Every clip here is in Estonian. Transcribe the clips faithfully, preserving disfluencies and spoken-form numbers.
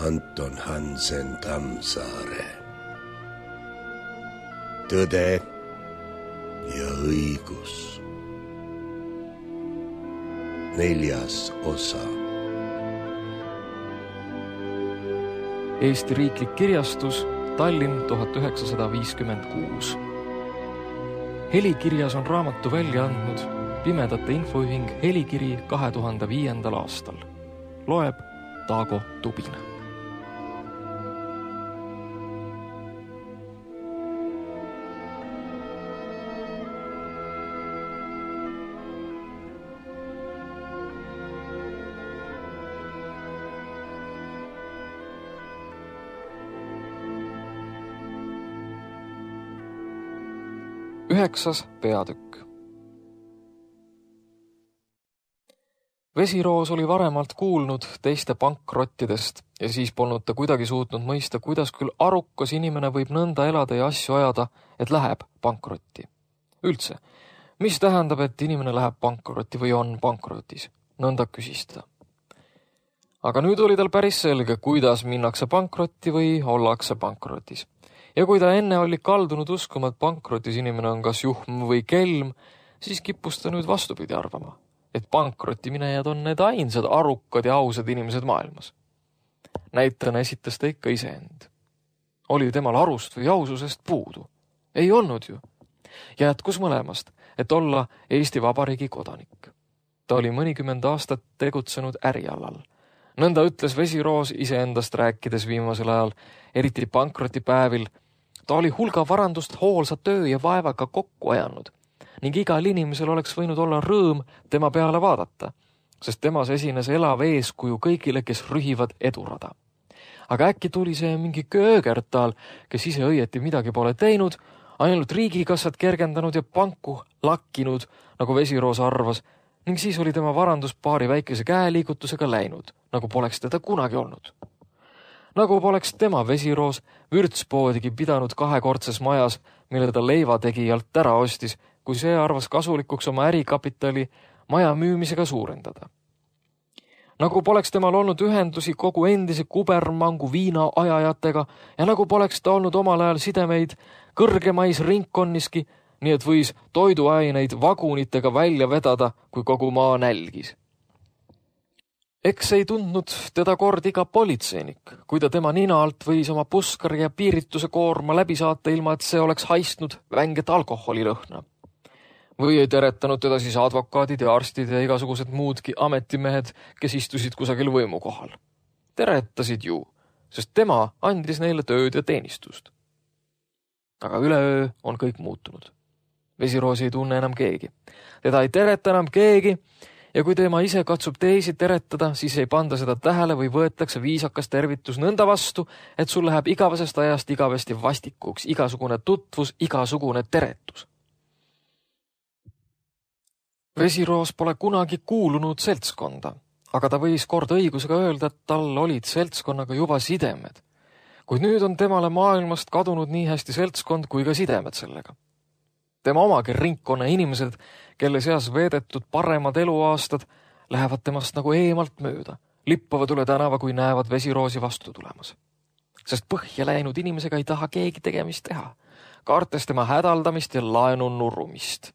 Anton Hansen Tammsaare. Tõde ja õigus. Neljas osa. Eesti Riiklik Kirjastus, Tallinn tuhat üheksasada viiskümmend kuus. Helikirjas on raamatu välja andnud Pimedate Infoühing Helikiri kahe tuhande viiendal aastal. Loeb Taago Tubin. Üheksas peatükk. Vesiroos oli varemalt kuulnud teiste pankrottidest ja siis polnud ta kuidagi suutnud mõista, kuidas küll arukas inimene võib nõnda elada ja asju ajada, et läheb pankrotti. Üldse, mis tähendab, et inimene läheb pankrotti või on pankrotis? Nõnda küsis ta. Aga nüüd oli tal päris selge, kuidas minnakse pankrotti või ollakse pankrotis. Ja kui ta enne oli kaldunud uskuma, et pankrotis inimene on kas juhm või kelm, siis kippus ta nüüd vastupidi arvama, et pankrotti minejad on need ainsad arukad ja ausad inimesed maailmas. Näitena esitas ta ikka iseend. Oli temal arust või aususest puudu? Ei olnud ju. Jätkus mõlemast, et olla Eesti Vabariigi kodanik. Ta oli mõnikümmend aastat tegutsenud ärialal. Nõnda ütles Vesiroos iseendast rääkides viimasel ajal, eriti pankrotipäevil. Ta oli hulga varandust hoolsa töö ja vaevaga kokku ajanud ning igal inimesel oleks võinud olla rõõm tema peale vaadata, sest temas esines elav eeskuju kõigile, kes rühivad edurada. Aga äkki tuli see mingi köögertal, kes ise õieti midagi pole teinud, ainult riigikassat kergendanud ja panku lakkinud, nagu Vesiroos arvas, ning siis oli tema varandus paari väikese käeliigutusega läinud, nagu poleks teda kunagi olnud. Nagu poleks tema Vesiroos vürtspoodigi pidanud kahekordses majas, mille ta leivategijalt ära ostis, kui see arvas kasulikuks oma ärikapitali maja müümisega suurendada. Nagu poleks temal olnud ühendusi kogu endise kubermangu viina ajajatega ja nagu poleks ta olnud omal ajal sidemeid kõrgemais ringkonniski, nii et võis toiduaineid vagunitega välja vedada, kui kogu maa nälgis. Eks ei tundnud teda kord iga politseinik, kui ta tema nina alt võis oma puskari ja piirituse koorma läbi saata, ilma et see oleks haistnud vänget alkoholilõhna. Või ei teretanud teda siis advokaadid ja arstid ja igasugused muudki ametimehed, kes istusid kusagil võimu kohal. Teretasid ju, sest tema andis neile tööd ja teenistust. Aga üleöö on kõik muutunud. Vesiroos ei tunne enam keegi. Teda ei tereta enam keegi, ja kui tema ise katsub teisi teretada, siis ei panda seda tähele või võetakse viisakas tervitus nõnda vastu, et sul läheb igavesest ajast igavesti vastikuks igasugune tutvus, igasugune teretus. Vesiroos pole kunagi kuulunud seltskonda, aga ta võis kord õigusega öelda, et tal olid seltskonnaga juba sidemed. Kuid nüüd on temale maailmast kadunud nii hästi seltskond kui ka sidemed sellega. Tema omagi ringkonna inimesed, kelle seas veedetud paremad eluaastad, lähevad temast nagu eemalt mööda, lippavad üle tänava, kui näevad Vesiroosi vastu tulemas. Sest põhja läinud inimesega ei taha keegi tegemist teha, kaartes tema hädaldamist ja laenu nurumist.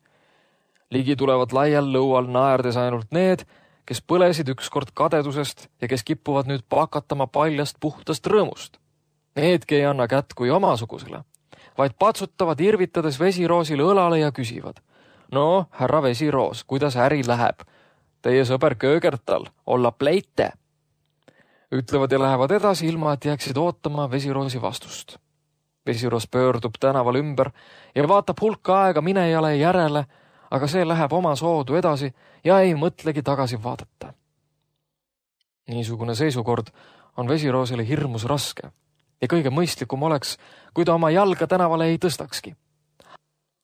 Ligi tulevad laial lõual naerdes ainult need, kes põlesid ükskord kadedusest ja kes kippuvad nüüd pakatama paljast puhtast rõõmust. Needki ei anna kätt kui omasugusele, vaid patsutavad irvitades Vesiroosile õlale ja küsivad. No, härra Vesiroos, kuidas äri läheb? Teie sõber Köögertal, olla pleite. Ütlevad ja lähevad edasi, ilma et jääksid ootama Vesiroosi vastust. Vesiroos pöördub tänaval ümber ja vaatab hulka aega minejale järele, aga see läheb oma soodu edasi ja ei mõtlegi tagasi vaadata. Niisugune seisukord on Vesiroosile hirmus raske ja kõige mõistlikum oleks, kui ta oma jalga tänavale ei tõstakski.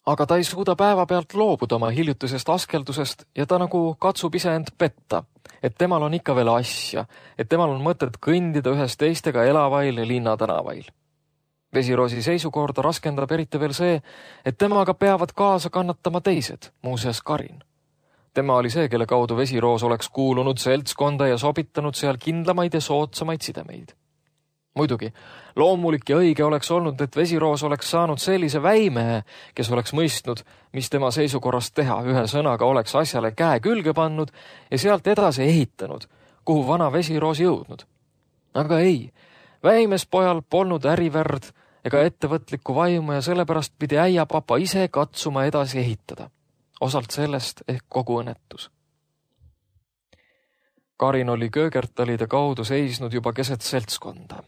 Aga ta ei suuda päeva pealt loobuda oma hiljutisest askeldusest ja ta nagu katsub ise end petta, et temal on ikka veel asja, et temal on mõtet kõndida ühes teistega elavail ja linnatänavail. Vesiroosi seisukorda raskendab eriti veel see, et temaga peavad kaasa kannatama teised, muuseas Karin. Tema oli see, kelle kaudu Vesiroos oleks kuulunud seltskonda ja sobitanud seal kindlamaid ja soodsamaid sidemeid. Muidugi, loomulik ja õige oleks olnud, et Vesiroos oleks saanud sellise väimehe, kes oleks mõistnud, mis tema seisukorrast teha, ühe sõnaga oleks asjale käe külge pannud ja sealt edasi ehitanud, kuhu vana Vesiroos jõudnud. Aga ei, väimes pojal polnud ärivärd ega ettevõtlikku vaimu ja sellepärast pidi äiapapa ise katsuma edasi ehitada. Osalt sellest ehk kogu õnnetus. Karin oli köögertalide kaudu seisnud juba keset seltskonda.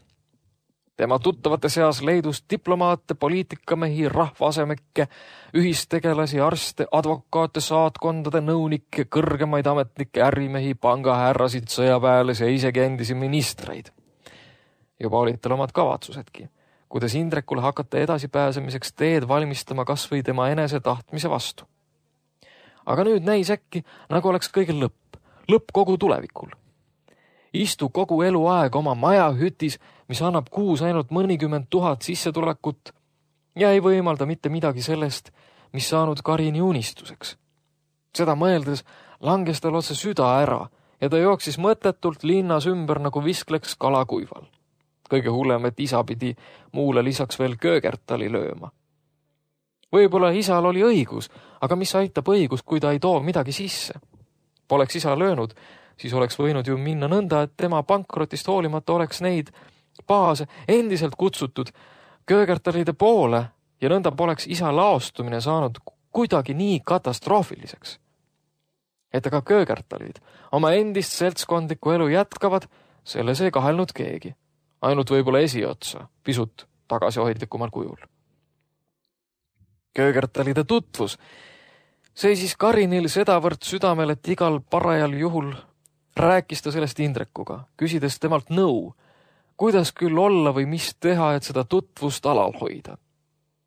Tema tuttavate seas leidus diplomaate, poliitikamehi, rahvaasemekke, ühistegelasi, arste, advokaate, saatkondade, nõunikke, kõrgemaid ametnikke, ärimehi, pangahärrasid, sõjaväelasi ja isegi endisi ministreid. Juba olid tal omad kavatsusedki, kuidas Indrekule hakata edasipääsemiseks teed valmistama kas või tema enese tahtmise vastu. Aga nüüd näis äkki, nagu oleks kõigil lõpp, lõpp kogu tulevikul. Istu kogu eluaeg oma majahütis, mis annab kuus ainult mõnikümmend tuhat sissetulekut ja ei võimalda mitte midagi sellest, mis saanud Karini unistuseks. Seda mõeldes langes tal otse süda ära ja ta jooksis mõttetult linnas ümber nagu viskleks kalakuival. Kõige hullem, et isa pidi muule lisaks veel köögertali lööma. Võib-olla isal oli õigus, aga mis aitab õigus, kui ta ei too midagi sisse? Poleks isa löönud, siis oleks võinud ju minna nõnda, et tema pankrotist hoolimata oleks neid baase endiselt kutsutud köögertalide poole ja nõnda poleks isa laostumine saanud kuidagi nii katastroofiliseks. Et aga köögertalid oma endist seltskondlikku elu jätkavad, selles ei kahelnud keegi. Ainult võib-olla esiotsa, pisut tagasihoidlikumal kujul. Köögertalide tutvus seisis Karinil sedavõrd südamel, et igal parajal juhul rääkis ta sellest Indrekuga, küsides temalt nõu, kuidas küll olla või mis teha, et seda tutvust alal hoida.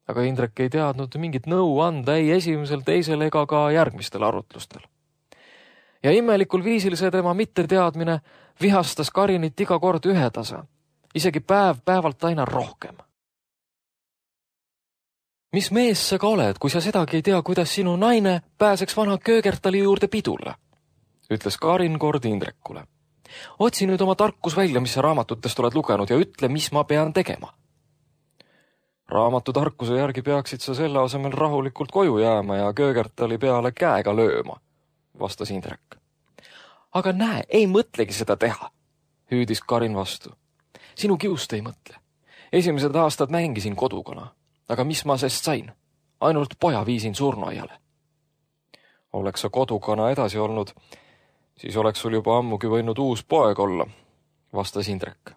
Aga Indrek ei teadnud mingit nõu anda ei esimesel, teisel ega ka järgmistel arutlustel. Ja imelikul viisil see tema mitteteadmine vihastas Karinit iga kord ühetasa, isegi päev päevalt aina rohkem. Mis mees sa ka oled, kui sa sedagi ei tea, kuidas sinu naine pääseks vana köögertali juurde pidule? Ütles Karin kord Indrekule. Otsi nüüd oma tarkus välja, mis sa raamatutest oled lugenud ja ütle, mis ma pean tegema. Raamatu tarkuse järgi peaksid sa selle asemel rahulikult koju jääma ja köögertali peale käega lööma, vastas Indrek. Aga näe, ei mõtlegi seda teha, hüüdis Karin vastu. Sinu kiust ei mõtle. Esimesed aastad mängisin kodukana, aga mis ma sest sain? Ainult poja viisin surnuaiale. Oleks sa kodukana edasi olnud, siis oleks sul juba ammugi võinud uus poeg olla, vastas Indrek.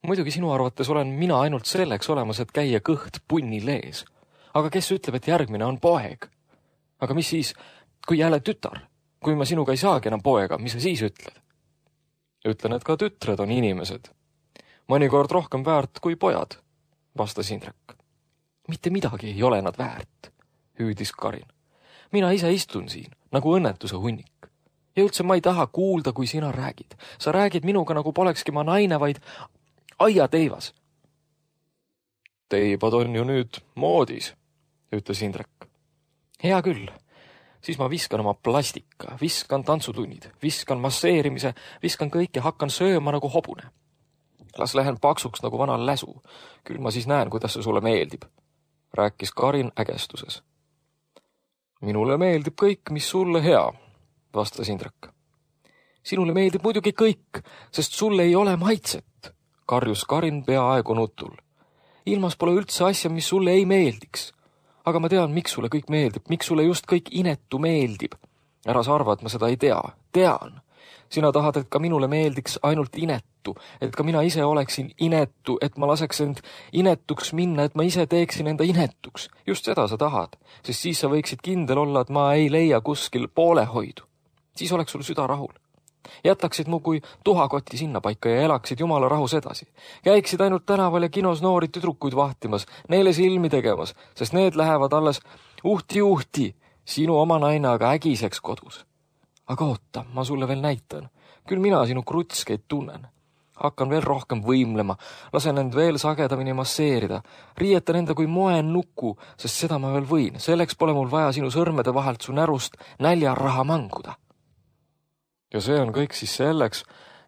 Muidugi sinu arvates olen mina ainult selleks olemas, et käia kõht punni lees. Aga kes ütleb, et järgmine on poeg? Aga mis siis, kui jälle tütar? Kui ma sinuga ei saagi enam poega, mis sa siis ütled? Ütlen, et ka tütred on inimesed. Mõnikord rohkem väärt kui pojad, vastas Indrek. Mitte midagi ei ole nad väärt, hüüdis Karin. Mina ise istun siin, nagu õnnetuse hunnik. Ja üldse ma ei taha kuulda, kui sina räägid. Sa räägid minuga, nagu polekski ma naine, vaid aiateivas. Teibad on ju nüüd moodis, ütles Indrek. Hea küll. Siis ma viskan oma plastika, viskan tantsutunnid, viskan masseerimise, viskan kõik ja hakkan sööma nagu hobune. Las lähen paksuks nagu vana läsu. Küll ma siis näen, kuidas see sulle meeldib, rääkis Karin ägestuses. Minule meeldib kõik, mis sulle hea, vastas Indrek. Sinule meeldib muidugi kõik, sest sulle ei ole maitset, karjus Karin peaaegu nutul. Ilmas pole üldse asja, mis sulle ei meeldiks. Aga ma tean, miks sulle kõik meeldib, miks sulle just kõik inetu meeldib. Ära sa arva, et ma seda ei tea. Tean. Sina tahad, et ka minule meeldiks ainult inetu, et ka mina ise oleksin inetu, et ma laseks end inetuks minna, et ma ise teeksin enda inetuks. Just seda sa tahad, sest siis sa võiksid kindel olla, et ma ei leia kuskil poolehoidu. Siis oleks sul süda rahul. Jätaksid mu kui tuhakoti sinna paika ja elaksid jumala rahus edasi. Käiksid ainult tänaval ja kinos noori tüdrukuid vahtimas, neile silmi tegemas, sest need lähevad alles uhti-uhti, sinu oma naine aga ägiseks kodus. Aga oota, ma sulle veel näitan. Küll mina sinu krutskeid tunnen. Hakkan veel rohkem võimlema, lasen end veel sagedamini masseerida, riietan enda kui moen nuku, sest seda ma veel võin. Selleks pole mul vaja sinu sõrmede vahelt su närust näljaraha manguda. Ja see on kõik siis selleks,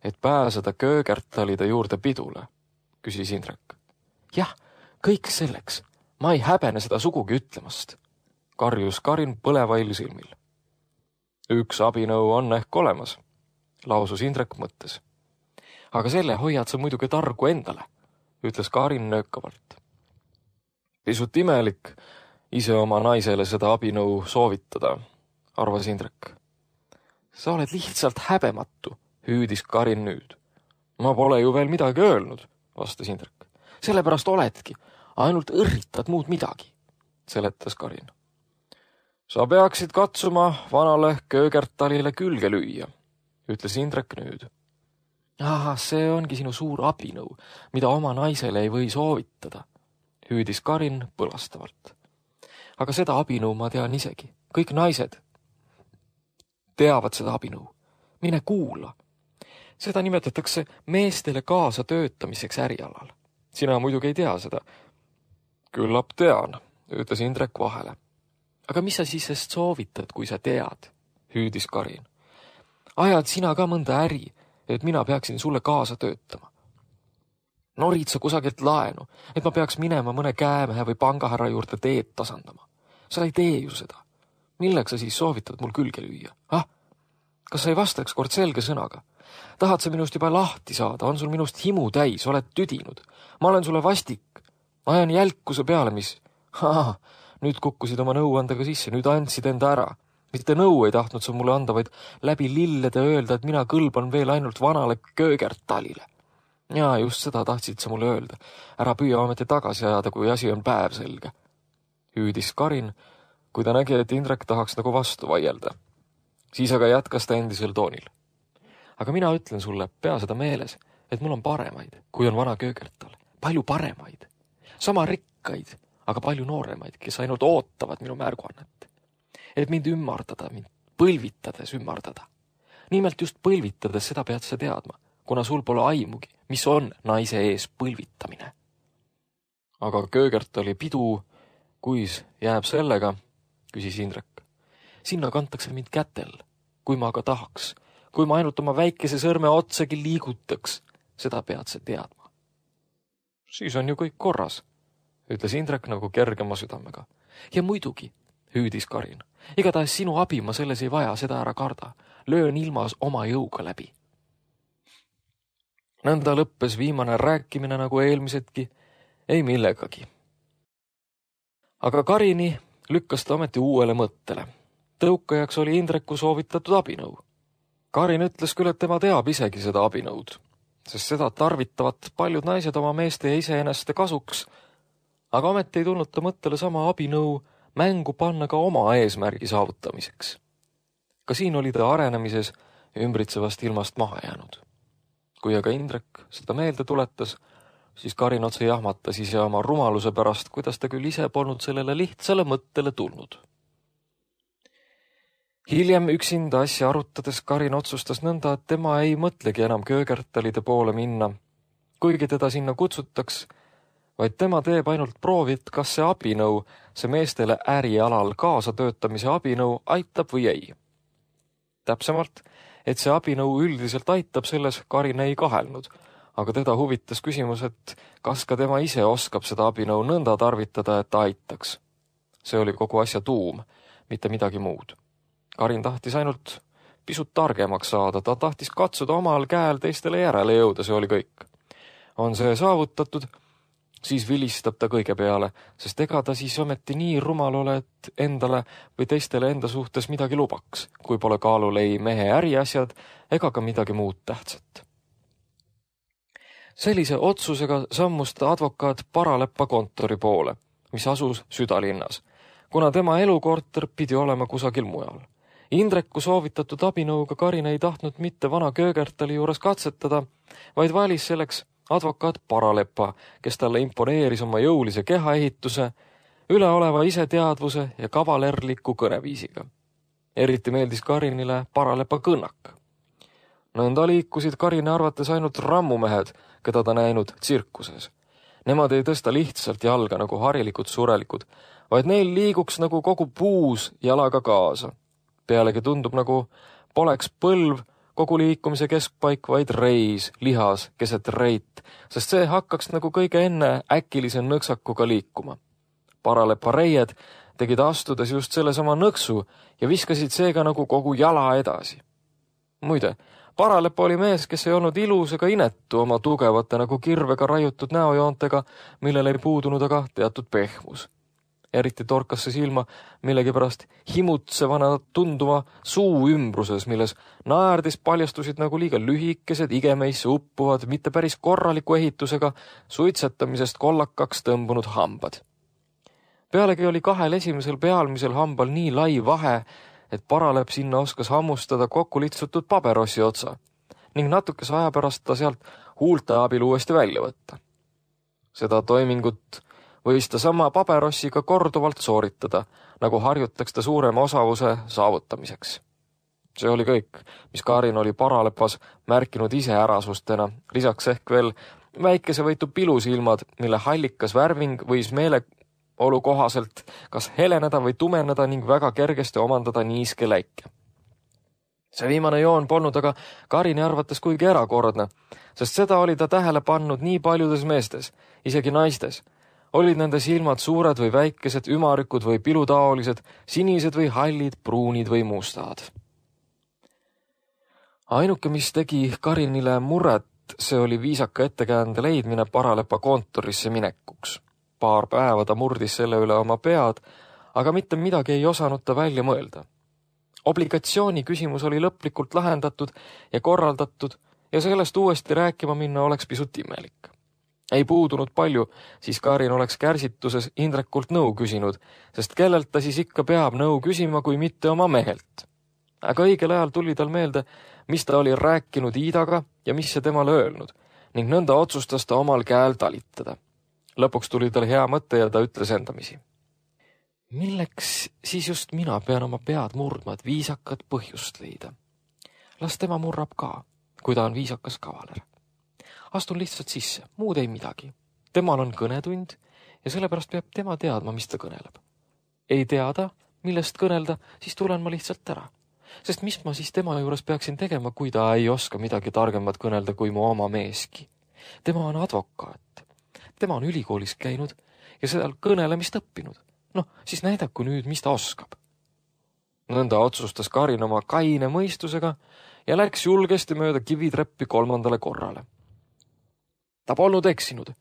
et pääseda köögertalide juurde pidule, küsis Indrek. Jah, kõik selleks. Ma ei häbene seda sugugi ütlemast, karjus Karin põlevail silmil. Üks abinõu on ehk olemas, lausus Indrek mõttes. Aga selle hoiad sa muidugi targu endale, ütles Karin nöökavalt. Pisut imelik ise oma naisele seda abinõu soovitada, arvas Indrek. Sa oled lihtsalt häbematu, hüüdis Karin nüüd. Ma pole ju veel midagi öelnud, vastas Indrek. Sellepärast oledki, ainult õrritad muud midagi, seletas Karin. Sa peaksid katsuma vanale Köögertalile külge lüüa, ütles Indrek nüüd. Aha, see ongi sinu suur abinõu, mida oma naisele ei või soovitada, hüüdis Karin põlastavalt. Aga seda abinõu ma tean isegi. Kõik naised teavad seda abinõu. Mine kuula. Seda nimetatakse meestele kaasa töötamiseks ärialal. Sina muidugi ei tea seda. Küllap tean, ütles Indrek vahele. Aga mis sa siis sest soovitad, kui sa tead, hüüdis Karin. Ajad sina ka mõnda äri, et mina peaksin sulle kaasa töötama. Norid sa kusagilt laenu, et ma peaks minema mõne käemehe või pangahärra juurde teed tasandama. Sa ei tee ju seda. Milleks sa siis soovitad mul külge lüüa? Ah, kas sa ei vastaks kord selge sõnaga? Tahad sa minust juba lahti saada? On sul minust himu täis? Oled tüdinud? Ma olen sulle vastik. Ma ajan jälkuse peale, mis... Haa, nüüd kukkusid oma nõuandega sisse, nüüd andsid enda ära. Mitte nõu ei tahtnud sa mulle anda, vaid läbi lillede öelda, et mina kõlban veel ainult vanale Köögertalile. Ja just seda tahtsid sa mulle öelda. Ära püüa ometi tagasi ajada, kui asi on päev selge. Hüüdis Karin, kui ta nägi, et Indrek tahaks nagu vastu vaielda. Siis aga jätkas ta endisel toonil. Aga mina ütlen sulle, pea seda meeles, et mul on paremaid, kui on vana Köögertal. Palju paremaid. Sama rikkaid, aga palju nooremaid, kes ainult ootavad minu märguannet. Et mind ümmardada, mind põlvitades ümmardada. Nimelt just põlvitades seda pead sa teadma, kuna sul pole aimugi, mis on naise ees põlvitamine. Aga Köögertali pidu, kuis jääb sellega, küsis Indrek. Sinna kantakse mind kätel, kui ma aga tahaks, kui ma ainult oma väikese sõrme otsagi liigutaks, seda pead sa teadma. Siis on ju kõik korras, ütles Indrek nagu kergema südamega. Ja muidugi, hüüdis Karin, igatahes sinu abi ma selles ei vaja, seda ära karda. Löön ilmas oma jõuga läbi. Nõnda lõppes viimane rääkimine nagu eelmisedki, ei millegagi. Aga Karini lükkas ta ometi uuele mõttele. Tõukajaks oli Indreku soovitatud abinõu. Karin ütles küll, et tema teab isegi seda abinõud, sest seda tarvitavad paljud naised oma meeste ja iseeneste kasuks, aga ometi ei tulnud ta mõttele sama abinõu mängu panna ka oma eesmärgi saavutamiseks. Ka siin oli ta arenemises ümbritsevast ilmast maha jäänud. Kui aga Indrek seda meelde tuletas, siis Karin otse jahmatas ise oma rumaluse pärast, kuidas ta küll ise polnud sellele lihtsale mõttele tulnud. Hiljem üksinda asja arutades Karin otsustas nõnda, et tema ei mõtlegi enam Köögertalide poole minna, kuigi teda sinna kutsutaks, vaid tema teeb ainult proovit, kas see abinõu, see meestele ärialal kaasatöötamise abinõu aitab või ei. Täpsemalt, et see abinõu üldiselt aitab, selles Karin ei kahelnud, aga teda huvitas küsimus, et kas ka tema ise oskab seda abinõu nõnda tarvitada, et ta aitaks. See oli kogu asja tuum, mitte midagi muud. Karin tahtis ainult pisut targemaks saada, ta tahtis katsuda omal käel teistele järele jõuda, see oli kõik. On see saavutatud, siis vilistab ta kõige peale, sest ega ta siis ometi nii rumal ole, et endale või teistele enda suhtes midagi lubaks, kui pole kaalul ei mehe äriasjad ega ka midagi muud tähtsat. Sellise otsusega sammus ta advokaat Paraleppa kontori poole, mis asus südalinnas, kuna tema elukorter pidi olema kusagil mujal. Indreku soovitatud abinõuga Karin ei tahtnud mitte vana Köögertali juures katsetada, vaid valis selleks advokaat Paraleppa, kes talle imponeeris oma jõulise kehaehituse, üleoleva iseteadvuse ja kavalerliku kõneviisiga. Eriti meeldis Karinile Paraleppa kõnnak. Nõnda liikusid Karini arvates ainult rammumehed, keda ta näinud tsirkuses. Nemad ei tõsta lihtsalt jalga nagu harilikud surelikud, vaid neil liiguks nagu kogu puus jalaga kaasa. Pealegi tundub nagu poleks põlv, kogu liikumise keskpaik, vaid reis, lihas, keset reit, sest see hakkaks nagu kõige enne äkilise nõksakuga liikuma. Paralepa reied tegid astudes just selle sama nõksu ja viskasid seega nagu kogu jala edasi. Muide, Paralepa oli mees, kes ei olnud ilus ega inetu oma tugevate nagu kirvega raiutud näojoontega, millel ei puudunud aga teatud pehmus. Eriti torkas see silma millegipärast himutsevana tunduma suu ümbruses, milles naerdis paljastusid nagu liiga lühikesed, igemeisse uppuvad, mitte päris korraliku ehitusega, suitsetamisest kollakaks tõmbunud hambad. Pealegi oli kahel esimesel pealmisel hambal nii lai vahe, et Paralep sinna oskas hammustada kokku litsutud paberossi otsa ning natukese aja pärast ta sealt huulte abil uuesti välja võtta. Seda toimingut võis ta sama paberossiga korduvalt sooritada, nagu harjutaks ta suurema osavuse saavutamiseks. See oli kõik, mis Karin oli Paralepas märkinud ise ärasustena, lisaks ehk veel väikese võitu pilusilmad, mille hallikas värving võis meele olu kohaselt kas heleneda või tumeneda ning väga kergesti omandada niiske läike. See viimane joon polnud aga Karini arvates kuigi erakordne, sest seda oli ta tähele pannud nii paljudes meestes, isegi naistes. Olid nende silmad suured või väikesed, ümarikud või pilutaolised, sinised või hallid, pruunid või mustad. Ainuke, mis tegi Karinile muret, see oli viisaka ettekäände leidmine Paralepa kontorisse minekuks. Paar päeva ta murdis selle üle oma pead, aga mitte midagi ei osanud ta välja mõelda. Obligatsiooni küsimus oli lõplikult lahendatud ja korraldatud ja sellest uuesti rääkima minna oleks pisut imelik. Ei puudunud palju, siis Karin oleks kärsituses Indrekult nõu küsinud, sest kellelt ta siis ikka peab nõu küsima, kui mitte oma mehelt. Aga õigel ajal tuli tal meelde, mis ta oli rääkinud Iidaga ja mis see temale öelnud, ning nõnda otsustas ta omal käel talitada. Lõpuks tuli tal hea mõte ja ta ütles endamisi. Milleks siis just mina pean oma pead murdma, et viisakat põhjust leida? Las tema murrab ka, kui ta on viisakas kavaler. Astun lihtsalt sisse, muud ei midagi. Temal on kõnetund ja sellepärast peab tema teadma, mis ta kõneleb. Ei teada, millest kõnelda, siis tulen ma lihtsalt ära. Sest mis ma siis tema juures peaksin tegema, kui ta ei oska midagi targemat kõnelda kui mu oma meeski? Tema on advokaat. Tema on ülikoolis käinud ja seal kõnelemist õppinud. Noh, siis näidaku nüüd, mis ta oskab. Nõnda otsustas Karin oma kaine mõistusega ja läks julgesti mööda kivitreppi kolmandale korrale. Ta polnud eksinud,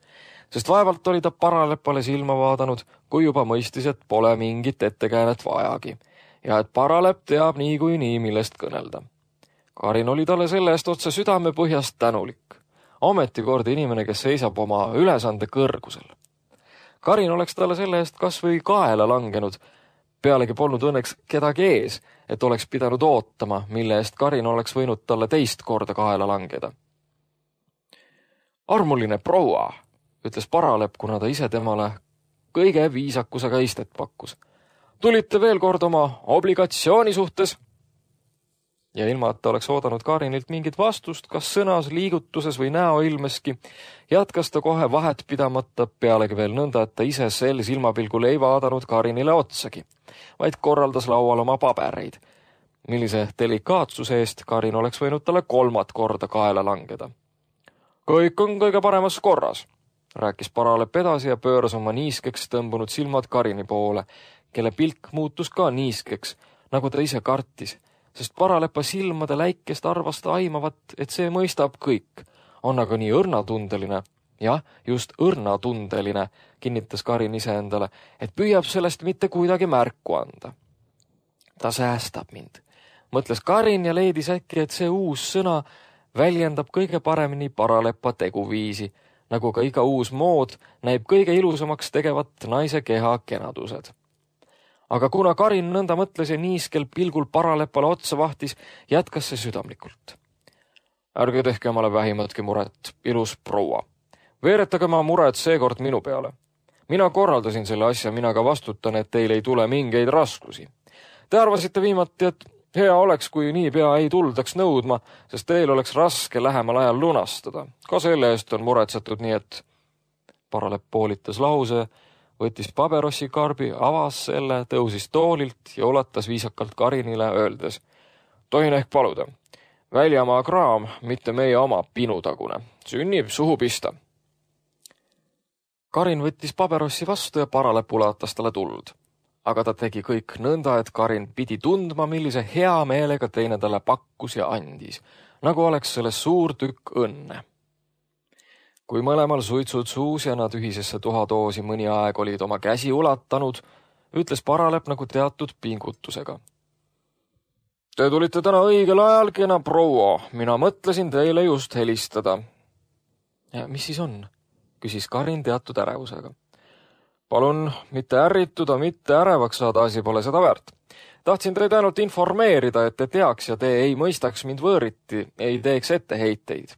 sest vaevalt oli ta Paralepale silma vaadanud, kui juba mõistis, et pole mingit ettekäänet vajagi ja et Paralep teab nii kui nii, millest kõnelda. Karin oli talle selle eest otse südame põhjast tänulik. Ametikord inimene, kes seisab oma ülesande kõrgusel. Karin oleks talle selle eest kas või kaela langenud, pealegi polnud õnneks kedagi ees, et oleks pidanud ootama, mille eest Karin oleks võinud talle teist korda kaela langeda. Armuline proua, ütles Paralep, kuna ta ise temale kõige viisakusega istet pakkus. Tulite veel kord oma obligatsiooni suhtes? Ja ilma, et ta oleks oodanud Karinilt mingit vastust, kas sõnas, liigutuses või näoilmeski, jätkas ta kohe vahet pidamata pealegi veel nõnda, et ta ise sel silmapilgul ei vaadanud Karinile otsagi, vaid korraldas laual oma pabereid, millise delikaatsuse eest Karin oleks võinud talle kolmat korda kaela langeda. Kõik on kõige paremas korras, rääkis Paralep edasi ja pööras oma niiskeks tõmbunud silmad Karini poole, kelle pilk muutus ka niiskeks, nagu ta ise kartis, sest Paralepa silmade läikest arvas ta aimavat, et see mõistab kõik, on aga nii õrnatundeline, jah, just õrnatundeline, kinnitas Karin ise endale, et püüab sellest mitte kuidagi märku anda. Ta säästab mind, mõtles Karin ja leidis äkki, et see uus sõna väljendab kõige paremini Paralepa teguviisi, nagu ka iga uus mood näib kõige ilusamaks tegevat naise keha kenadused. Aga kuna Karin nõnda mõtles ja niiskel pilgul Paralepale otsa vahtis, jätkas see südamlikult. Ärge tehke omale vähimatki muret, ilus proua. Veeretage ma mured seekord minu peale. Mina korraldasin selle asja, mina ka vastutan, et teil ei tule mingeid raskusi. Te arvasite viimati, et hea oleks, kui nii pea ei tuldaks nõudma, sest teil oleks raske lähemal ajal lunastada. Ka selle eest on muretsetud nii, et Paralep poolitas lause, võttis paberossi karbi, avas selle, tõusis toolilt ja ulatas viisakalt Karinile, öeldes. Tohin ehk paluda. Väljamaa kraam, mitte meie oma pinutagune. Sünnib suhu pista. Karin võttis paberossi vastu ja Paralep ulatas talle tuld. Aga ta tegi kõik nõnda, et Karin pidi tundma, millise hea meelega teine talle pakkus ja andis, nagu oleks selles suur tükk õnne. Kui mõlemal suitsud suus ja nad ühisesse tuhadoosi mõni aeg olid oma käsi ulatanud, ütles Paralep nagu teatud pingutusega. Te tulite täna õigel ajal, kena proua, mina mõtlesin teile just helistada. Ja mis siis on? Küsis Karin teatud ärevusega. Palun mitte ärrituda, mitte ärevaks saada, asi pole seda väärt. Tahtsin teid ainult informeerida, et te teaks ja te ei mõistaks mind võõriti, ei teeks etteheiteid.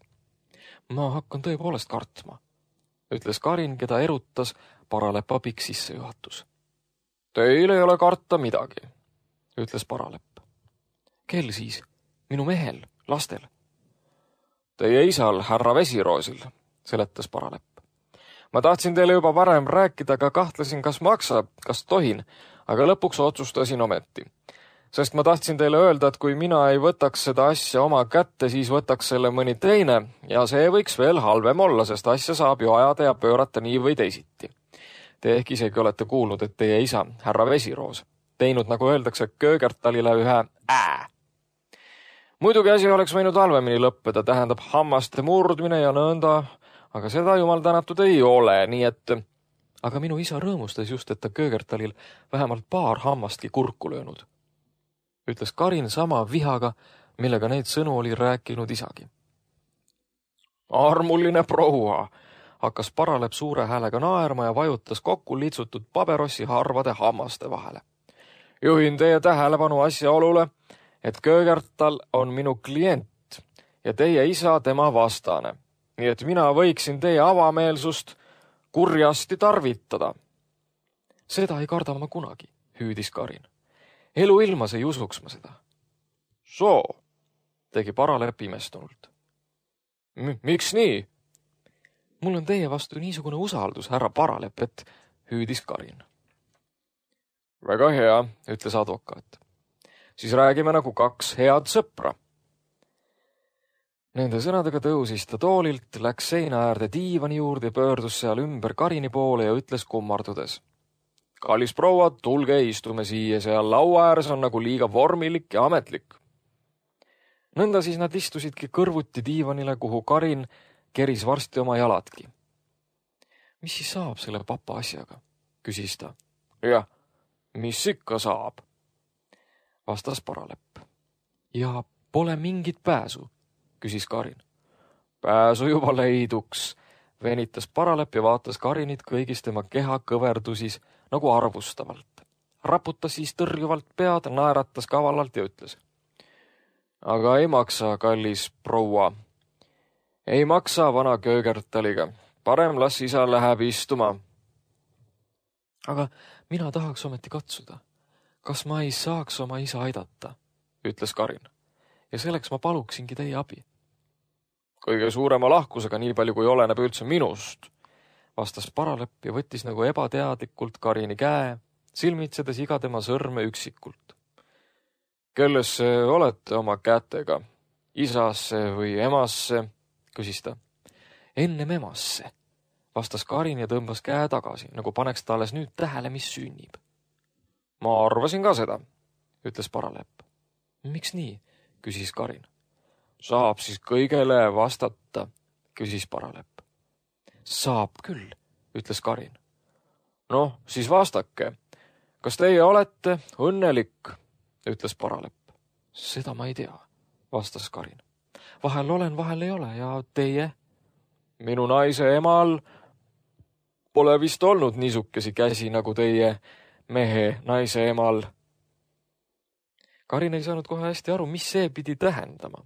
Ma hakkan tõepoolest kartma, ütles Karin, keda erutas Paralepa pikk sissejuhatus. Teil ei ole karta midagi, ütles Paralep. Kel siis? Minu mehel, lastel. Teie isal, härra Vesiroosil, seletas Paralep. Ma tahtsin teile juba varem rääkida, aga kahtlesin, kas maksab, kas tohin, aga lõpuks otsustasin ometi. Sest ma tahtsin teile öelda, et kui mina ei võtaks seda asja oma kätte, siis võtaks selle mõni teine ja see võiks veel halvem olla, sest asja saab ju ajada ja pöörata nii või teisiti. Te ehk isegi olete kuulnud, et teie isa, härra Vesiroos, teinud, nagu öeldakse, Köögertalile ühe ää. Muidugi asi oleks võinud halvemini lõppeda, tähendab hammaste murdmine ja nõnda, aga seda jumal tänatud ei ole, nii et... Aga minu isa rõõmustas just, et ta Köögertalil vähemalt paar hammastki kurku löönud. Ütles Karin sama vihaga, millega neid sõnu oli rääkinud isagi. Armuline proua, hakkas Paralep suure häälega naerma ja vajutas kokku litsutud paberossi harvade hammaste vahele. Juhin teie tähelepanu asjaolule, et Köögertal on minu klient ja teie isa tema vastane, nii et mina võiksin teie avameelsust kurjasti tarvitada. Seda ei karda ma kunagi, hüüdis Karin. Elu ilmas ei usuks ma seda. Soo, tegi Paralep imestunult. M- miks nii? Mul on teie vastu niisugune usaldus, härra Paralep, et hüüdis Karin. Väga hea, ütles advokaat. Siis räägime nagu kaks head sõpra. Nende sõnadega tõusis ta toolilt, läks seina äärde diivani juurde, pöördus seal ümber Karini poole ja ütles kummardudes. Kallis proua, tulge istume siia, seal laua ääres on nagu liiga vormilik ja ametlik. Nõnda siis nad istusidki kõrvuti diivanile, kuhu Karin keris varsti oma jaladki. Mis siis saab selle papa asjaga? Küsis ta. Jah, mis ikka saab? Vastas Paralep. Ja pole mingit pääsu, küsis Karin. Pääsu juba leiduks, venitas Paralep ja vaatas Karinit kõigis tema keha kõverdusis nagu arvustavalt. Raputas siis tõrjuvalt pead, naeratas kavalalt ja ütles. Aga ei maksa, kallis proua. Ei maksa vana Köögertaliga. Parem las isa läheb istuma. Aga mina tahaks ometi katsuda. Kas ma ei saaks oma isa aidata, ütles Karin. Ja selleks ma paluksingi teie abi. Kõige suurema lahkusega, nii palju kui oleneb üldse minust, vastas Paralep ja võttis nagu ebateadlikult Karini käe, silmitsedes iga tema sõrme üksikult. Kellesse olete oma kätega? Isasse või emasse? Küsis ta. Ennem emasse, vastas Karin ja tõmbas käe tagasi, nagu paneks ta alles nüüd tähele, mis sünnib. Ma arvasin ka seda, ütles Paralep. Miks nii? Küsis Karin. Saab siis kõigele vastata, küsis Paralep. Saab küll, ütles Karin. Noh, siis vastake. Kas teie olete õnnelik, ütles Paralep. Seda ma ei tea, vastas Karin. Vahel olen, vahel ei ole ja teie? Minu naise emal pole vist olnud niisukesi käsi nagu teie mehe naise emal. Karin ei saanud kohe hästi aru, mis see pidi tähendama.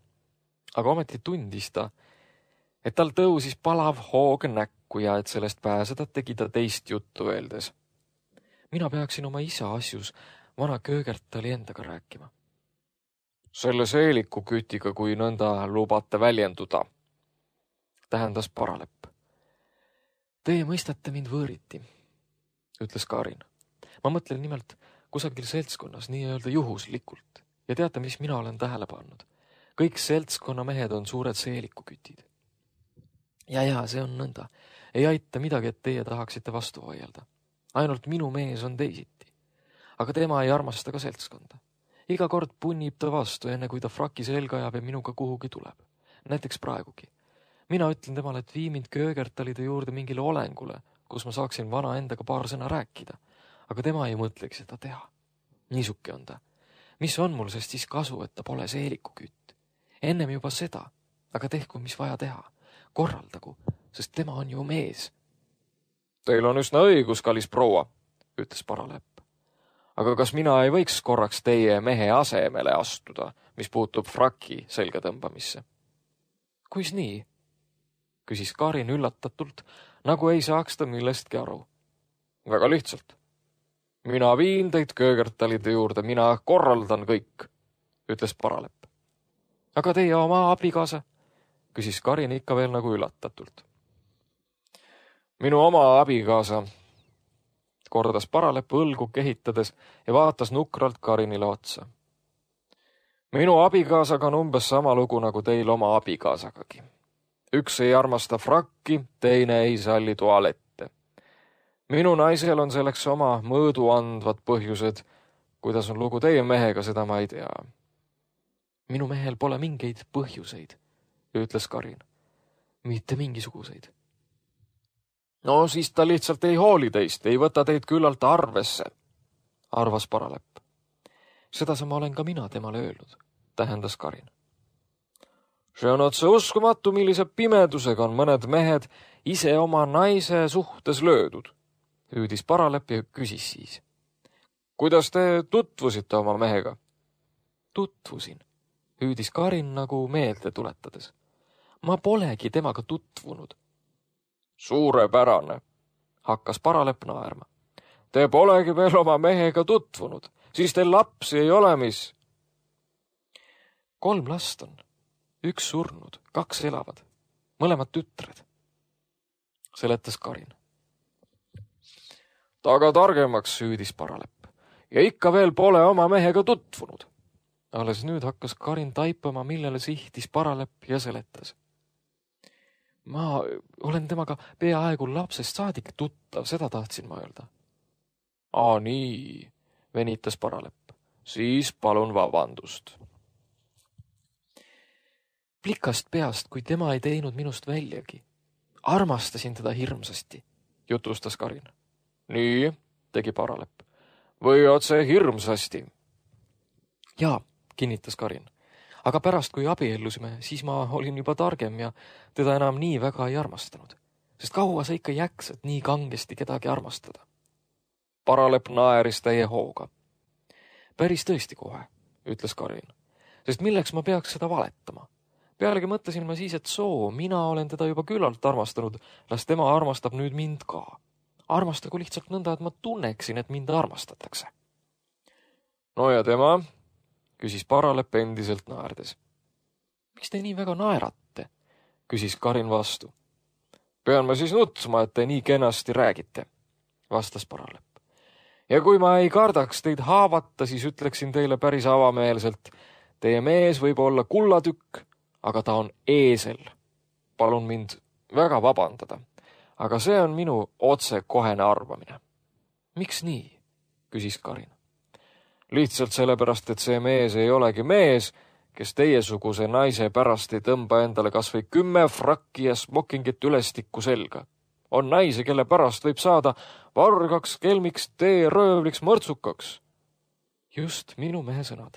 Aga ometi tundis ta, et tal tõusis palav hoog näkku ja et sellest pääseda tegi ta teist juttu öeldes. Mina peaksin oma isa asjus vana Köögertali endaga rääkima. Selle seeliku kütiga, kui nõnda lubate väljenduda, tähendas Paralep. Teie mõistate mind võõriti, ütles Karin. Ma mõtlen nimelt kusagil seltskonnas nii-öelda juhuslikult ja teate, mis mina olen tähele pannud. kõik seltskonna mehed on suured seelikukütid. Ja ja, see on nõnda. Ei aita midagi, et teie tahaksite vastu vaielda. Ainult minu mees on teisiti. Aga tema ei armasta ka seltskonda. Iga kord punnib ta vastu, enne kui ta fraki selga ajab ja minuga kuhugi tuleb. Näiteks praegugi. Mina ütlen temale, et vii mind Köögertalide juurde mingile olengule, kus ma saaksin vana endaga paar sõna rääkida. Aga tema ei mõtlegi seda teha. Niisuke on ta. Mis on mul sest siis kasu, et ta pole seelikukütt? Ennem juba seda, aga tehku, mis vaja teha. Korraldagu, sest tema on ju mees. Teil on üsna õigus, kallis proua, ütles Paralepp. Aga kas mina ei võiks korraks teie mehe asemele astuda, mis puutub fraki selga tõmbamisse? Kuis nii? Küsis Karin üllatatult, nagu ei saaks ta millestki aru. Väga lihtsalt. Mina viin teid Köögertalide juurde, mina korraldan kõik, ütles Paralepp. Aga teie oma abikaasa? Küsis Karin ikka veel nagu üllatatult. Minu oma abikaasa, kordas Paralepp õlgu kehitades ja vaatas nukralt Karinile otsa. Minu abikaasaga on umbes sama lugu nagu teil oma abikaasagagi. Üks ei armasta frakki, teine ei salli tualette. Minu naisel on selleks oma mõõdu andvad põhjused. Kuidas on lugu teie mehega, seda ma ei tea. Minu mehel pole mingeid põhjuseid, ütles Karin. Mitte mingisuguseid. No siis ta lihtsalt ei hooli teist, ei võta teid küllalt arvesse, arvas Paralepp. Seda sama olen ka mina temale öelnud, tähendas Karin. See on otse uskumatu, millise pimedusega on mõned mehed ise oma naise suhtes löödud, hüüdis Paralepp ja küsis siis. Kuidas te tutvusite oma mehega? Tutvusin, hüüdis Karin nagu meelde tuletades. Ma polegi temaga tutvunud. Suurepärane, hakkas Paralepp naerma. Te polegi veel oma mehega tutvunud, siis teil lapsi ei ole, mis? Kolm last on, üks surnud, kaks elavad, mõlemad tütred, seletas Karin. Taga targemaks, hüüdis Paralepp, ja ikka veel pole oma mehega tutvunud. Alles nüüd hakkas Karin taipama, millele sihtis Paralepp ja seletas. Ma olen temaga peaaegu lapsest saadik tuttav, seda tahtsin ma öelda. Aa, nii, venitas Paralepp. Siis palun vabandust. Plikast peast, kui tema ei teinud minust väljagi. Armastasin teda hirmsasti, jutustas Karin. Nii, tegi Paralepp. Või otse hirmsasti? Jaa, kinnitas Karin. Aga pärast, kui abiellusime, siis ma olin juba targem ja teda enam nii väga ei armastanud. Sest kaua sa ikka jäksad nii kangesti kedagi armastada? Paralepp naeris täie hooga. Päris tõesti kohe, ütles Karin. Sest milleks ma peaks seda valetama? Pealegi mõtlesin ma siis, et soo, mina olen teda juba küllalt armastanud, las tema armastab nüüd mind ka. Armastagu lihtsalt nõnda, et ma tunneksin, et mind armastatakse. No ja tema? Küsis Paralepp endiselt naerdes. Miks te nii väga naerate? Küsis Karin vastu. Pean ma siis nutma, et te nii kenasti räägite, vastas Paralepp. Ja kui ma ei kardaks teid haavata, siis ütleksin teile päris avameelselt. Teie mees võib olla kullatükk, aga ta on eesel. Palun mind väga vabandada, aga see on minu otsekohene arvamine. Miks nii? Küsis Karin. Lihtsalt sellepärast, et see mees ei olegi mees, kes teiesuguse naise pärast ei tõmba endale kas või kümme frakki ja smokingit ülestikku selga. On naise, kelle pärast võib saada vargaks, kelmiks, teeröövliks, mõrtsukaks. Just minu mehe sõnad,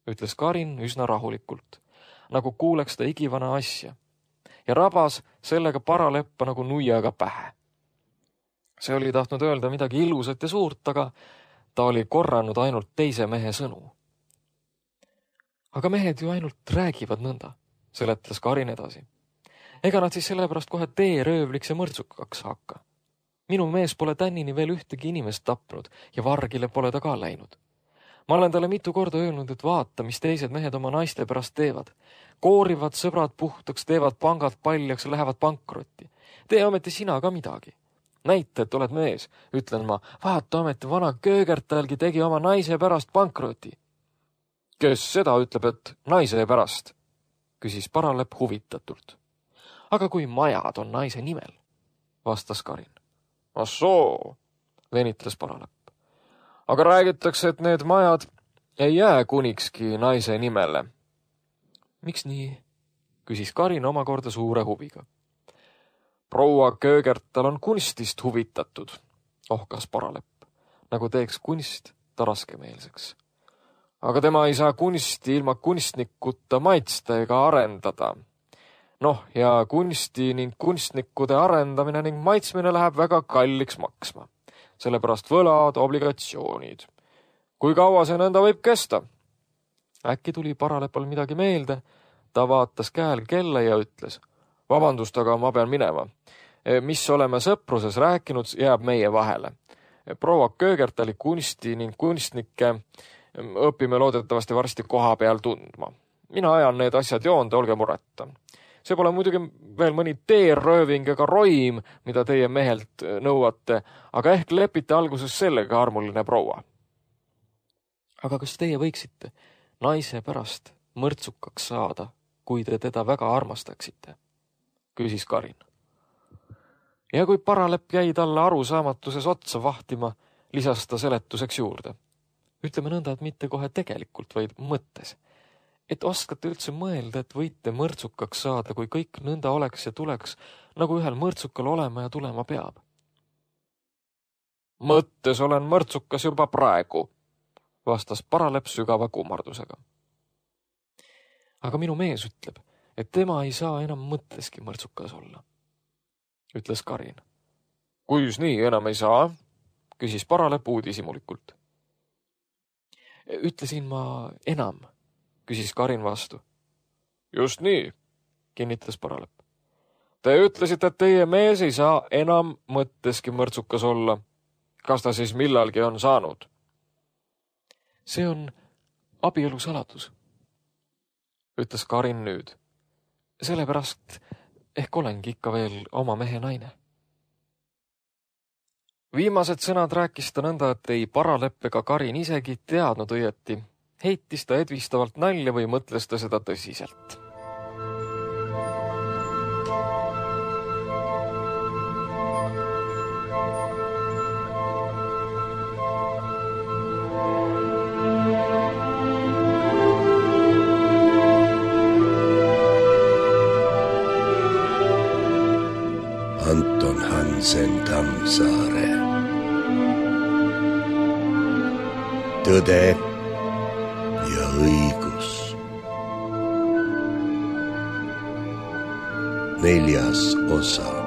ütles Karin üsna rahulikult, nagu kuuleks ta igivana asja, ja rabas sellega Paraleppa nagu nuiaga pähe. See oli tahtnud öelda midagi ilusat ja suurt, aga ta oli korranud ainult teise mehe sõnu. Aga mehed ju ainult räägivad nõnda, seletas Karin edasi. Ega nad siis sellepärast kohe teeröövliks ja mõrtsukaks hakka. Minu mees pole tännini veel ühtegi inimest tapnud ja vargile pole ta ka läinud. Ma olen talle mitu korda öelnud, et vaata, mis teised mehed oma naiste pärast teevad. Koorivad sõbrad puhtaks, teevad pangad paljaks ja lähevad pankrotti. Tee ometi sina ka midagi. Näita, et oled mees, ütlen ma, vaata ometi vana Köögertalgi tegi oma naise pärast pankroti. Kes seda ütleb, et naise pärast, küsis Paralepp huvitatult. Aga kui majad on naise nimel, vastas Karin. Ah soo, venitles Paralepp. Aga räägitakse, et need majad ei jää kunikski naise nimele. Miks nii? Küsis Karin omakorda suure huviga. Proua Köögertal on kunstist huvitatud, ohkas Paralepp, nagu teeks kunst ta raskemeelseks. Aga tema ei saa kunsti ilma kunstnikuta maitsta ega arendada. Noh, ja kunsti ning kunstnikude arendamine ning maitsmine läheb väga kalliks maksma. Sellepärast võlad, obligatsioonid. Kui kaua see nõnda võib kesta? Äkki tuli Paralepal midagi meelde, ta vaatas käel kella ja ütles. Vabandust, aga ma pean minema. Mis oleme sõpruses rääkinud, jääb meie vahele. Proua Köögertali kunsti ning kunstnikke õpime loodetavasti varsti koha peal tundma. Mina ajan need asjad joonde, olge mureta. See pole muidugi veel mõni teerööving ega roim, mida teie mehelt nõuate, aga ehk lepite alguses sellega, armuline proua. Aga kas teie võiksite naise pärast mõrtsukaks saada, kui te teda väga armastaksite? Küsis Karin. Ja kui Paralepp jäi talle arusaamatuses otsa vahtima, lisas ta seletuseks juurde. Ütleme nõnda, et mitte kohe tegelikult, vaid mõttes. Et oskate üldse mõelda, et võite mõrtsukaks saada, kui kõik nõnda oleks ja tuleks, nagu ühel mõrtsukal olema ja tulema peab. Mõttes olen mõrtsukas juba praegu, vastas Paralepp sügava kummardusega. Aga minu mees ütleb, et tema ei saa enam mõtteski mõrtsukas olla, ütles Karin. Kuis nii enam ei saa? Küsis Paralepp uudishimulikult. Ütlesin ma enam, küsis Karin vastu. Just nii, kinnitas Paralepp. Te ütlesite, et teie mees ei saa enam mõtteski mõrtsukas olla. Kas ta siis millalgi on saanud? See on abielu saladus, ütles Karin nüüd. Sellepärast ehk olengi ikka veel oma mehe naine. Viimased sõnad rääkis ta nõnda, et ei Paralepp ega Karin isegi teadnud õieti. Heitis ta edvistavalt nalja või mõtles ta seda tõsiselt. Anton Hansen Tammsaare. Tõde ja õigus. Neljas osa.